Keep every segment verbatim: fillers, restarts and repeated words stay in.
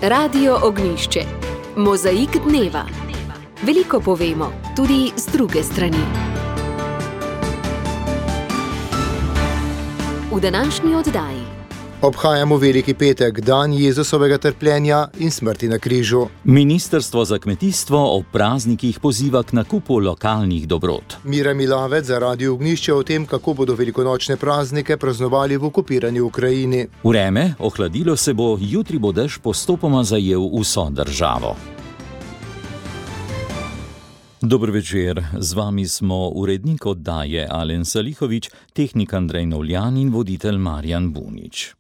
Radio Ognjišče. Mozaik dneva. Veliko povemo, tudi z druge strani. V današnji oddaji obhajamo Veliki petek, dan Jezusovega trpljenja in smrti na križu. Ministrstvo za kmetijstvo ob praznikih poziva k nakupu lokalnih dobrot. Mira Milavec za Radio Ognjišče o tem, kako bodo velikonočne praznike praznovali v okupirani Ukrajini. Vreme, ohladilo se bo, jutri bo dež postopoma zajel vso državo. Dober večer, z vami smo urednik oddaje Alen Salihovič, tehnik Andrej Novljan in voditelj Marjan Bunič.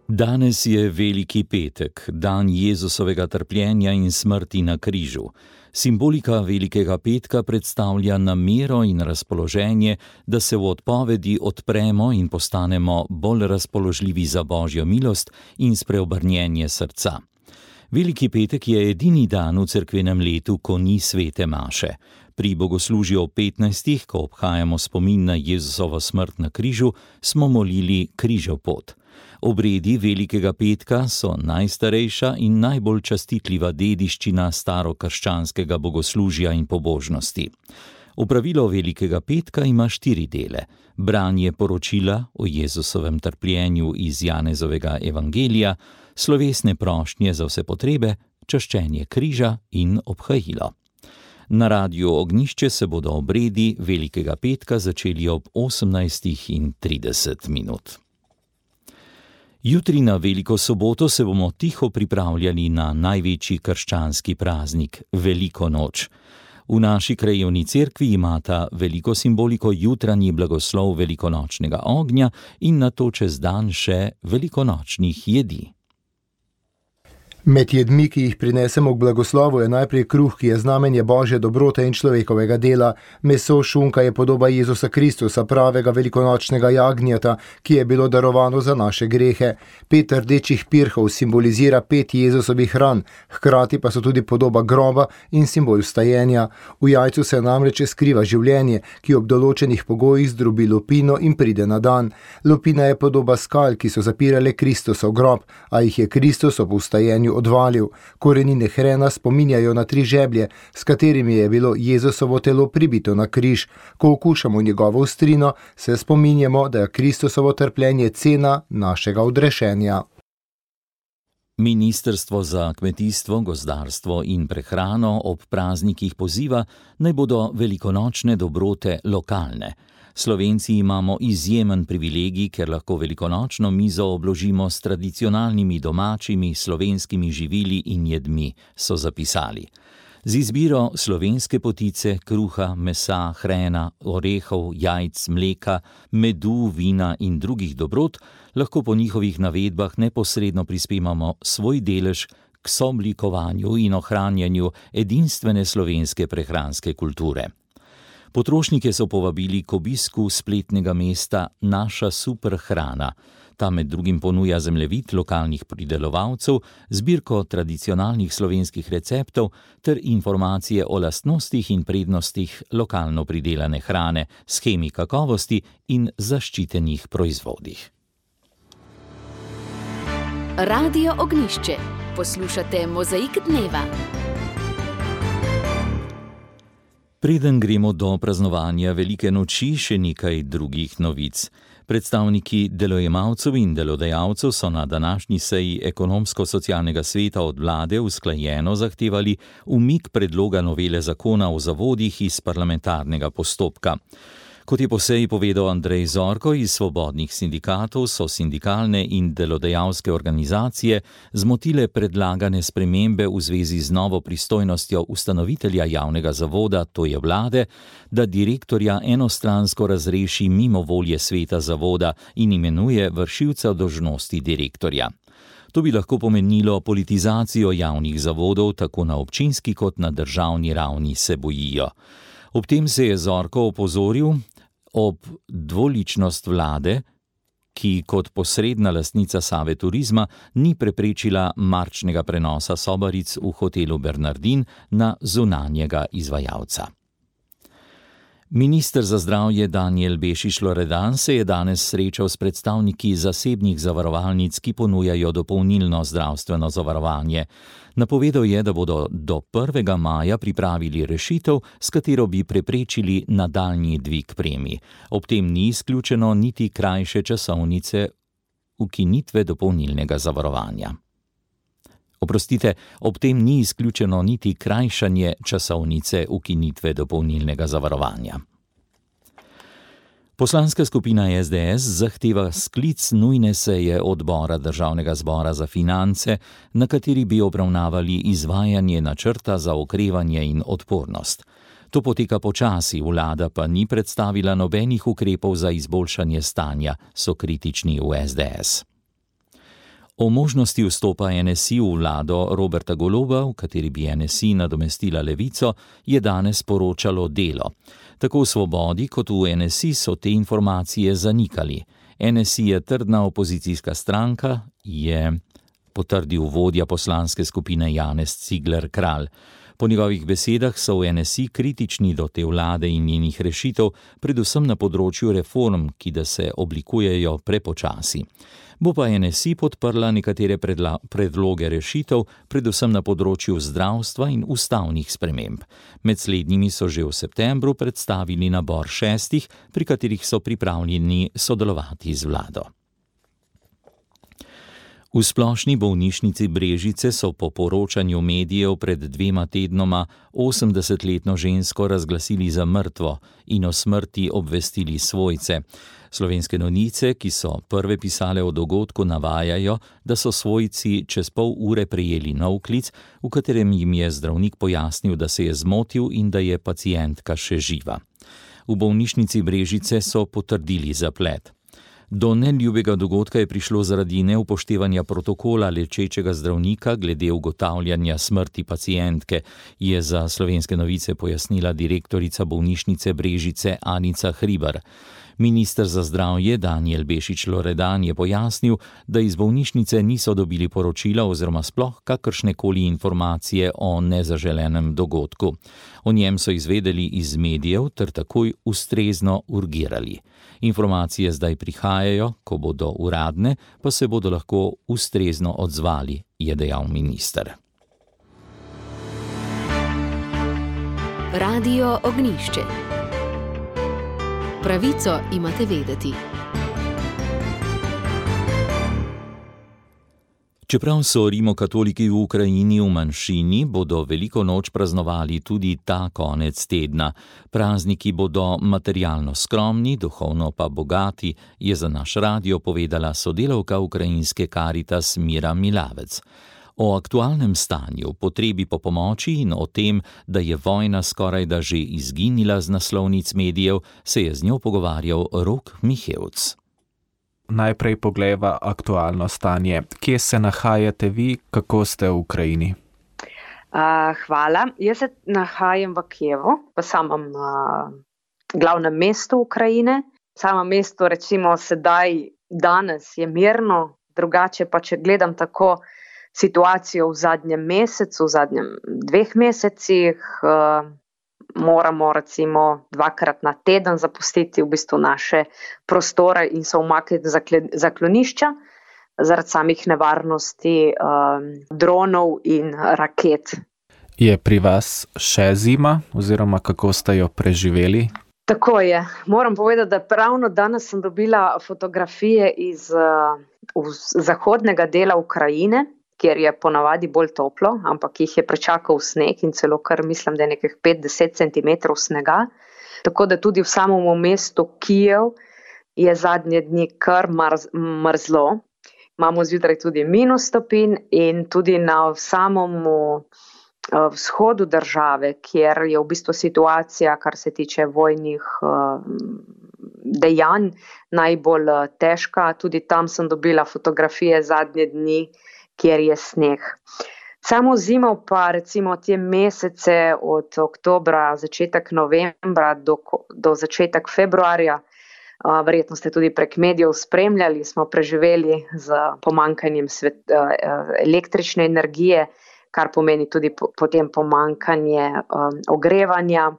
Danes je Veliki petek, dan Jezusovega trpljenja in smrti na križu. Simbolika Velikega petka predstavlja namero in razpoloženje, da se v odpovedi odpremo in postanemo bolj razpoložljivi za Božjo milost in spreobrnjenje srca. Veliki petek je edini dan v cerkvenem letu, ko ni svete maše. Pri bogoslužju ob petnajstih, ko obhajamo spomin na Jezusovo smrt na križu, smo molili križev pot. Obredi Velikega petka so najstarejša in najbolj častitljiva dediščina starokrščanskega bogoslužja in pobožnosti. Opravilo Velikega petka ima štiri dele: branje poročila o Jezusovem trpljenju iz Janezovega evangelija, slovesne prošnje za vse potrebe, čaščenje križa in obhajilo. Na Radiu Ognjišče se bodo obredi Velikega petka začeli ob osemnajstih trideset minut. Jutri na Veliko soboto se bomo tiho pripravljali na največji krščanski praznik, Veliko noč. V naši krajevni cerkvi imata veliko simboliko jutranji blagoslov velikonočnega ognja in nato čez dan še velikonočnih jedi. Med jedmi, ki jih prinesemo k blagoslovu, je najprej kruh, ki je znamenje Božje dobrote in človekovega dela. Meso šunka je podoba Jezusa Kristusa, pravega velikonočnega jagnjeta, ki je bilo darovano za naše grehe. Pet rdečih pirhov simbolizira pet Jezusovih ran, hkrati pa so tudi podoba groba in simbol vstajenja. V jajcu se namreč skriva življenje, ki ob določenih pogojih zdrobi lupino in pride na dan. Lupina je podoba skal, ki so zapirale Kristusov grob, a jih je Kristus ob vstajenju odvalil. Korenine hrena spominjajo na tri žeblje, s katerimi je bilo Jezusovo telo pribito na križ. Ko okušamo njegovo ostrino, se spominjamo, da je Kristusovo trpljenje cena našega odrešenja. Ministrstvo za kmetijstvo, gozdarstvo in prehrano ob praznikih poziva, naj bodo velikonočne dobrote lokalne. Slovenci imamo izjemen privilegij, ker lahko velikonočno mizo obložimo s tradicionalnimi domačimi slovenskimi živili in jedmi, so zapisali. Z izbiro slovenske potice, kruha, mesa, hrena, orehov, jajc, mleka, medu, vina in drugih dobrot lahko po njihovih navedbah neposredno prispevamo svoj delež k sooblikovanju in ohranjanju edinstvene slovenske prehranske kulture. Potrošnike so povabili k obisku spletnega mesta Naša super hrana. Ta med drugim ponuja zemljevid lokalnih pridelovalcev, zbirko tradicionalnih slovenskih receptov ter informacije o lastnostih in prednostih lokalno pridelane hrane, shemi kakovosti in zaščitenih proizvodih. Radio Ognjišče. Poslušate Mozaik dneva. Preden gremo do praznovanja Velike noči, še nekaj drugih novic. Predstavniki delojemalcev in delodajalcev so na današnji seji ekonomsko-socialnega sveta od vlade usklajeno zahtevali umik predloga novele zakona o zavodih iz parlamentarnega postopka. Kot je po seji povedal Andrej Zorko iz Svobodnih sindikatov, so sindikalne in delodajalske organizacije zmotile predlagane spremembe v zvezi z novo pristojnostjo ustanovitelja javnega zavoda, to je vlade, da direktorja enostransko razreši mimo volje sveta zavoda in imenuje vršilca dolžnosti direktorja. To bi lahko pomenilo politizacijo javnih zavodov, tako na občinski kot na državni ravni, se bojijo. Ob tem se je Zorko opozoril ob dvoličnost vlade, ki kot posredna lastnica Save Turizma ni preprečila marčnega prenosa sobaric v hotelu Bernardin na zunanjega izvajalca. Minister za zdravje Danijel Bešič-Loredan se je danes srečal s predstavniki zasebnih zavarovalnic, ki ponujajo dopolnilno zdravstveno zavarovanje. Napovedal je, da bodo do prvega maja pripravili rešitev, s katero bi preprečili nadaljnji dvig premij. Ob tem ni izključeno niti krajše časovnice ukinitve dopolnilnega zavarovanja. Oprostite, ob tem ni izključeno niti krajšanje časovnice ukinitve dopolnilnega zavarovanja. Poslanska skupina es de es zahteva sklic nujne seje odbora Državnega zbora za finance, na kateri bi obravnavali izvajanje načrta za okrevanje in odpornost. To poteka počasi, vlada pa ni predstavila nobenih ukrepov za izboljšanje stanja, so kritični v es de es. O možnosti vstopa en es i v vlado Roberta Goloba, v kateri bi en es i nadomestila Levico, je danes poročalo Delo. Tako v Svobodi kot v en es i so te informacije zanikali. en es i je trdna opozicijska stranka, je potrdil vodja poslanske skupine Janez Cigler Kralj. Po njegovih besedah so v en es i kritični do te vlade in njenih rešitev, predvsem na področju reform, ki da se oblikujejo prepočasi. Bo pa en es i podprla nekatere predla, predloge rešitev, predvsem na področju zdravstva in ustavnih sprememb. Med slednjimi so že v septembru predstavili nabor šestih, pri katerih so pripravljeni sodelovati z vlado. V Splošni bolnišnici Brežice so po poročanju medijev pred dvema tednoma osemdesetletno žensko razglasili za mrtvo in o smrti obvestili svojce. Slovenske novice, ki so prve pisale o dogodku, navajajo, da so svojci čez pol ure prejeli nov klic, v katerem jim je zdravnik pojasnil, da se je zmotil in da je pacientka še živa. V bolnišnici Brežice so potrdili zaplet. Do neljubega dogodka je prišlo zaradi neupoštevanja protokola lečečega zdravnika glede ugotavljanja smrti pacientke, je za Slovenske novice pojasnila direktorica bolnišnice Brežice Anica Hribar. Minister za zdravje Danijel Bešič-Loredan je pojasnil, da iz bolnišnice niso dobili poročila oziroma sploh kakršnekoli informacije o nezaželenem dogodku. O njem so izvedeli iz medijev ter takoj ustrezno urgirali. Informacije zdaj prihajajo, ko bodo uradne, pa se bodo lahko ustrezno odzvali, je dejal minister. Radio Ognjišče. Pravico imate vedeti. Čeprav so rimokatoliki v Ukrajini v manjšini, bodo veliko noč praznovali tudi ta konec tedna. Prazniki bodo materialno skromni, duhovno pa bogati, je za naš radio povedala sodelavka ukrajinske Karitas Mira Milavec. O aktualnem stanju, potrebi po pomoči in o tem, da je vojna skorajda že izginila z naslovnic medijev, se je z njo pogovarjal Rok Mihevc. Najprej poglejva aktualno stanje. Kje se nahajate vi, kako ste v Ukrajini? Uh, hvala. Jaz se nahajam v Kijevu, v samem uh, glavnem mestu Ukrajine. Samo mesto, recimo sedaj, danes je mirno, drugače pa če gledam tako situacijo v zadnjem mesecu, v zadnjem dveh mesecih, uh, moramo recimo dvakrat na teden zapustiti v bistvu naše prostore in se umakniti zaklonišča zaradi samih nevarnosti um, dronov in raket. Je pri vas še zima oziroma kako ste jo preživeli? Tako je. Moram povedati, da pravno danes sem dobila fotografije iz uh, zahodnega dela Ukrajine, kjer je ponavadi bolj toplo, ampak jih je prečakal sneg in celo kar mislim, da je nekaj pet do deset centimetrov snega. Tako da tudi v samem mestu Kijev je zadnje dni kar mrz, mrzlo. Imamo zjutraj tudi minus stopinj in tudi na samem vzhodu države, kjer je v bistvu situacija, kar se tiče vojnih dejanj, najbolj težka. Tudi tam sem dobila fotografije zadnje dni, kjer je sneg. Samo zimo pa recimo te mesece od oktobra, začetek novembra do, do začetek februarja, verjetno ste tudi prek medijev spremljali, smo preživeli z pomanjkanjem svet, električne energije, kar pomeni tudi potem pomanjkanje ogrevanja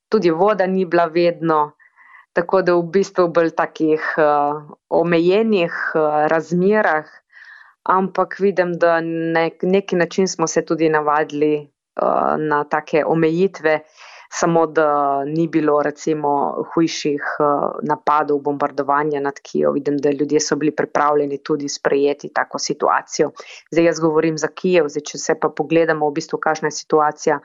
tudi voda ni bila vedno, tako da v bistvu bolj takih uh, omejenih uh, razmerah, ampak vidim, da na neki način smo se tudi navadili uh, na take omejitve, samo da ni bilo recimo hujših uh, napadov, bombardovanja nad Kijev. Vidim, da ljudje so bili pripravljeni tudi sprejeti tako situacijo. Zdaj jaz govorim za Kijev, zdaj če se pa pogledamo v bistvu, kakšna je situacija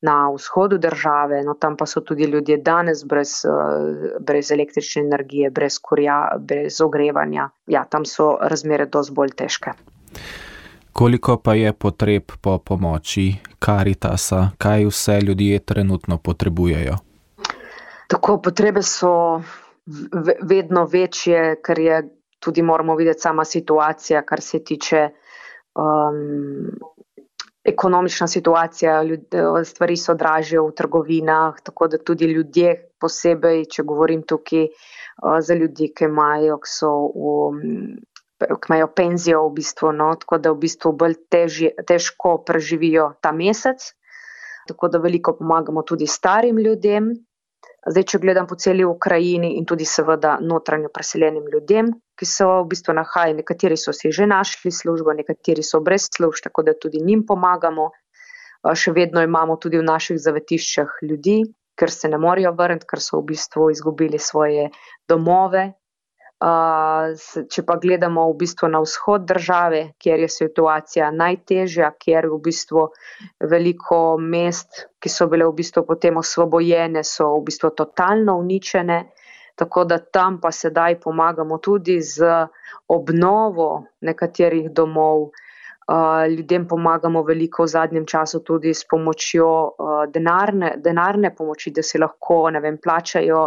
na vzhodu države, no tam pa so tudi ljudje danes brez, uh, brez električne energije, brez kurja, brez ogrevanja. Ja, tam so razmere dosti bolj težke. Koliko pa je potreb po pomoči Karitasa? Kaj vse ljudje trenutno potrebujejo? Tako, potrebe so vedno večje, ker je tudi moramo videti sama situacija, kar se tiče um, ekonomična situacija, ljudje, stvari so dražje v trgovinah, tako da tudi ljudje posebej, če govorim tukaj uh, za ljudi, ki imajo, ki so v ki imajo penzijo v bistvu, no, tako da v bistvu bolj težje, težko preživijo ta mesec, tako da veliko pomagamo tudi starim ljudem. Zdaj, če gledam po celi Ukrajini in tudi seveda notranjo preseljenim ljudem, ki so v bistvu nahajali, nekateri so si že našli službo, nekateri so brez služb, tako da tudi njim pomagamo. Še vedno imamo tudi v naših zavetiščah ljudi, ker se ne morejo vrniti, ker so v bistvu izgubili svoje domove. Uh, če pa gledamo v bistvu na vzhod države, kjer je situacija najtežja, kjer v bistvu veliko mest, ki so bile v bistvu potem osvobojene, so v bistvu totalno uničene, tako da tam pa sedaj pomagamo tudi z obnovo nekaterih domov. Uh, ljudem pomagamo veliko v zadnjem času tudi s pomočjo uh, denarne, denarne pomoči, da si lahko, ne vem, plačajo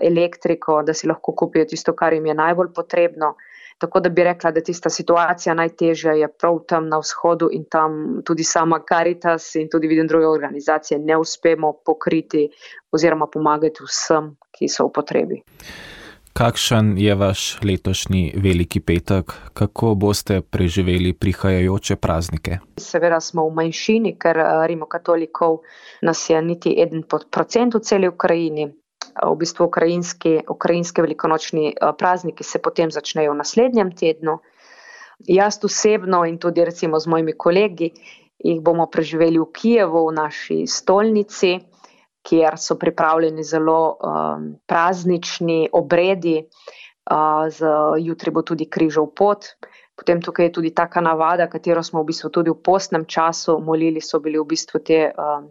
elektriko, da si lahko kupijo tisto, kar jim je najbolj potrebno. Tako da bi rekla, da tista situacija najtežja je prav tam na vzhodu in tam tudi sama Karitas in tudi vidim druge organizacije ne uspemo pokriti oziroma pomagati vsem, ki so v potrebi. Kakšen je vaš letošnji veliki petek? Kako boste preživeli prihajajoče praznike? Seveda smo v manjšini, ker rimokatolikov nas je niti en procent v celi Ukrajini. V bistvu ukrajinski, ukrajinski velikonočni prazniki se potem začnejo v naslednjem tednu. Jaz osebno in tudi recimo z mojimi kolegi jih bomo preživeli v Kijevu, v naši stolnici, kjer so pripravljeni zelo um, praznični obredi. Uh, z, jutri bo tudi križov pot. Potem tukaj je tudi taka navada, katero smo v bistvu tudi v postnem času molili, so bili v bistvu te um,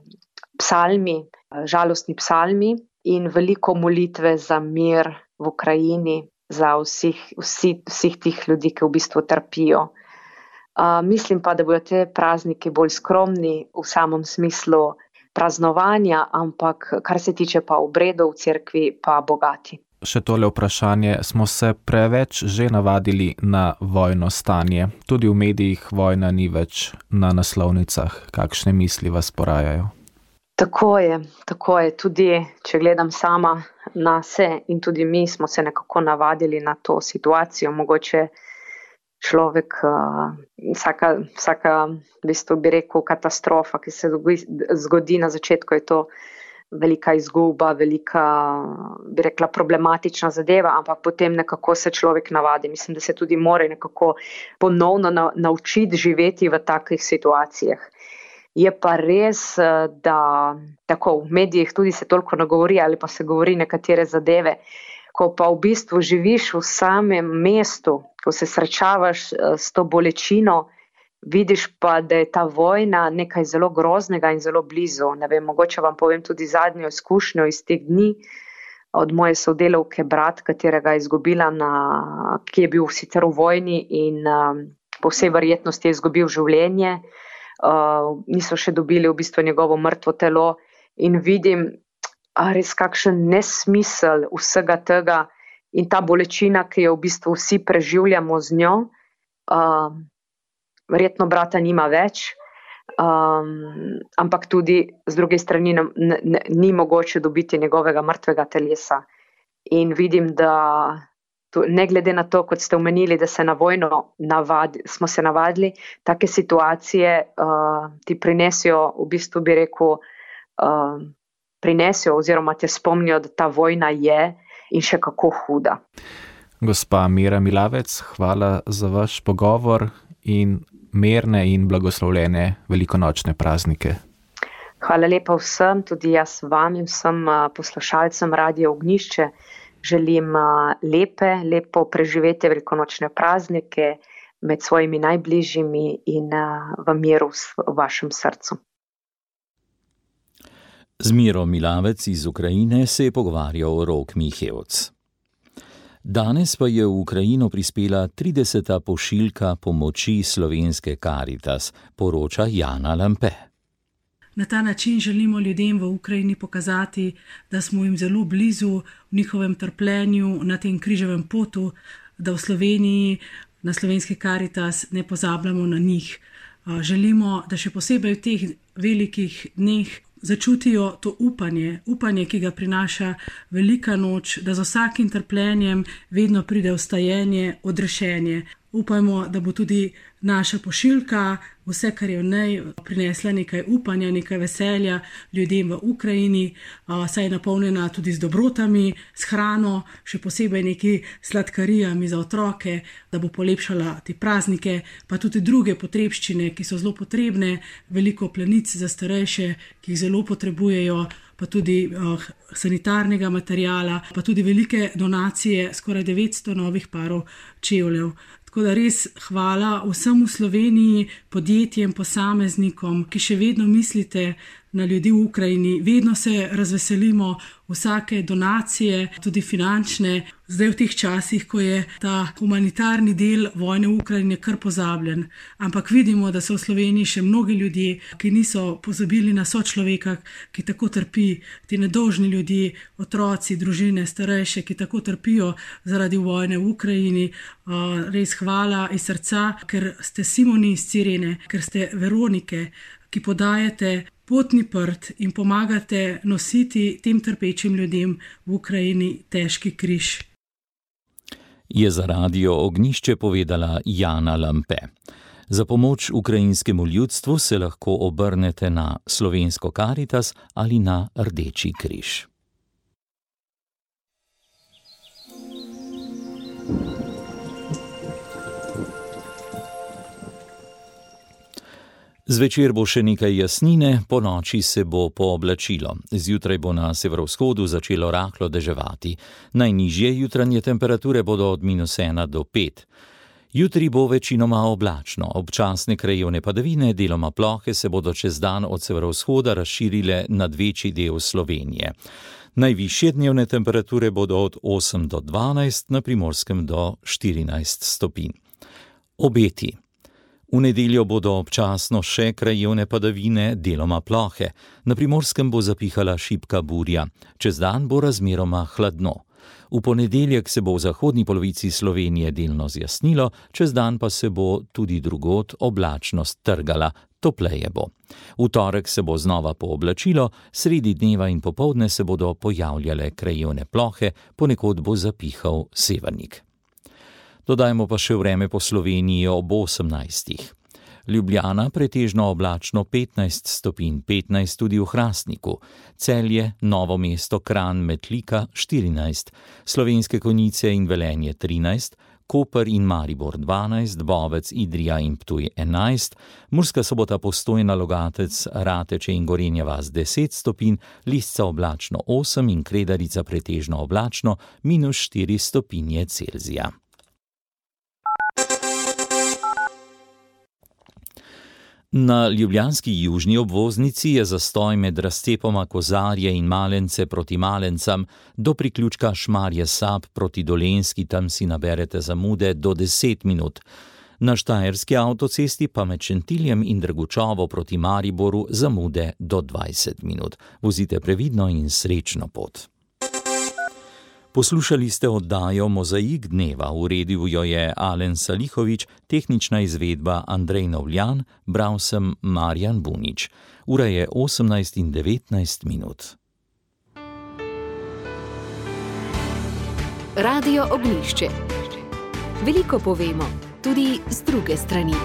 psalmi, žalostni psalmi. In veliko molitve za mir v Ukrajini, za vseh, vsi, vseh tih ljudi, ki v bistvu trpijo. Uh, mislim pa, da bodo te prazniki bolj skromni v samem smislu praznovanja, ampak kar se tiče pa obredov v cerkvi, pa bogati. Še tole vprašanje, smo se preveč že navadili na vojno stanje. Tudi v medijih vojna ni več na naslovnicah. Kakšne misli vas porajajo? Tako je, tako je. Tudi, če gledam sama na se in tudi mi smo se nekako navadili na to situacijo. Mogoče človek, uh, vsaka, vsaka, v bistvu bi rekel, katastrofa, ki se zgodi na začetku, je to velika izguba, velika, bi rekla, problematična zadeva, ampak potem nekako se človek navadi. Mislim, da se tudi mora nekako ponovno na, naučiti živeti v takih situacijah. Je pa res, da tako v medijih tudi se toliko ne govori ali pa se govori nekatere zadeve, ko pa v bistvu živiš v samem mestu, ko se srečavaš s to bolečino, vidiš pa, da je ta vojna nekaj zelo groznega in zelo blizu. Ne vem, mogoče vam povem tudi zadnjo izkušnjo iz teh dni od moje sodelavke brat, katerega je izgubila, na, ki je bil sicer v vojni in um, po vsej verjetnosti je izgubil življenje. Uh, niso še dobili v bistvu njegovo mrtvo telo in vidim a res kakšen nesmisel vsega tega in ta bolečina, ki jo v bistvu vsi preživljamo z njo. Uh, verjetno brata nima več, um, ampak tudi z druge strani ne, ne, ni mogoče dobiti njegovega mrtvega telesa. In vidim, da ne glede na to, kot ste omenili, da se na vojno navadi, smo se navadili, take situacije uh, ti prinesijo, v bistvu bi rekel, uh, prinesijo oziroma te spomnijo, da ta vojna je in še kako huda. Gospa Mira Milavec, hvala za vaš pogovor in mirne in blagoslovljene velikonočne praznike. Hvala lepa vsem, tudi jaz vam in vsem poslušalcem Radia Ognjišče. Želim lepe, lepo preživetje velikonočne praznike med svojimi najbližjimi in v miru v vašem srcu. Z Miro Milavec iz Ukrajine se je pogovarjal Rok Mihevc. Danes pa je v Ukrajino prispela trideseta pošiljka pomoči slovenske Karitas, poroča Jana Lampe. Na ta način želimo ljudem v Ukrajini pokazati, da smo jim zelo blizu v njihovem trpljenju na tem križevem potu, da v Sloveniji, na slovenski Karitas ne pozabljamo na njih. Želimo, da še posebej v teh velikih dneh začutijo to upanje, upanje, ki ga prinaša velika noč, da z vsakim trpljenjem vedno pride vstajenje, odrešenje. Upajmo, da bo tudi naša pošiljka, vse, kar je v njej, prinesla nekaj upanja, nekaj veselja ljudem v Ukrajini, saj je napolnjena tudi z dobrotami, s hrano, še posebej neki sladkarijami za otroke, da bo polepšala te praznike, pa tudi druge potrebščine, ki so zelo potrebne, veliko plenic za starejše, ki jih zelo potrebujejo, pa tudi uh, sanitarnega materijala, pa tudi velike donacije, skoraj devetsto novih parov čevljev. Tako da res hvala vsem v Sloveniji, podjetjem, posameznikom, ki še vedno mislite na ljudi v Ukrajini. Vedno se razveselimo vsake donacije, tudi finančne. Zdaj v teh časih, ko je ta humanitarni del vojne v Ukrajini kar pozabljen. Ampak vidimo, da so v Sloveniji še mnogi ljudje, ki niso pozabili na sočloveka, ki tako trpi, ti nedolžni ljudje, otroci, družine, starejše, ki tako trpijo zaradi vojne v Ukrajini. Res hvala iz srca, ker ste Simoni iz Cirene, ker ste Veronike, ki podajate potni prt in pomagate nositi tem trpečim ljudem v Ukrajini težki križ. Je za Radio Ognjišče povedala Jana Lampe. Za pomoč ukrajinskemu ljudstvu se lahko obrnete na slovensko Karitas ali na Rdeči križ. Zvečer bo še nekaj jasnine, po noči se bo pooblačilo. Zjutraj bo na severovzhodu začelo rahlo deževati. Najnižje jutranje temperature bodo od minus ena do pet. Jutri bo večinoma oblačno, občasne krajevne padavine, deloma plohe se bodo čez dan od severovzhoda razširile nad večji del Slovenije. Najvišje dnevne temperature bodo od osem do dvanajst, na Primorskem do štirinajst stopinj. Obeti. V nedeljo bodo občasno še krajevne padavine, deloma plohe. Na Primorskem bo zapihala šibka burja. Čez dan bo razmeroma hladno. V ponedeljek se bo v zahodni polovici Slovenije delno zjasnilo, čez dan pa se bo tudi drugod oblačnost trgala, topleje bo. V torek se bo znova pooblačilo, sredi dneva in popoldne se bodo pojavljale krajevne plohe, ponekod bo zapihal severnik. Dodajmo pa še vreme po Sloveniji ob osemnajstih. Ljubljana pretežno oblačno petnajst stopinj, petnajst tudi v Hrastniku. Celje, Novo mesto, Kranj, Metlika štirinajst, Slovenske Konjice in Velenje trinajst, Koper in Maribor dvanajst, Bovec, Idrija in Ptuj enajst, Murska Sobota, Postojna, Logatec, Rateče in Gorenja vas deset stopinj, Lisca oblačno osem in Kredarica pretežno oblačno minus štiri stopinje Celzija. Na ljubljanski južni obvoznici je zastoj med razcepoma Kozarje in Malence proti Malencam do priključka Šmarje Sab proti Dolenjski, tam si naberete zamude do deset minut. Na štajerski avtocesti pa med Šentiljem in Drgučovo proti Mariboru zamude do dvajset minut. Vozite previdno in srečno pot. Poslušali ste oddajo Mozaik dneva, uredil jo je Alen Salihovič, tehnična izvedba Andrej Novljan, bral sem Marjan Bunič. Ura je osemnajst in devetnajst minut. Radio Ognjišče. Veliko povemo, tudi z druge strani.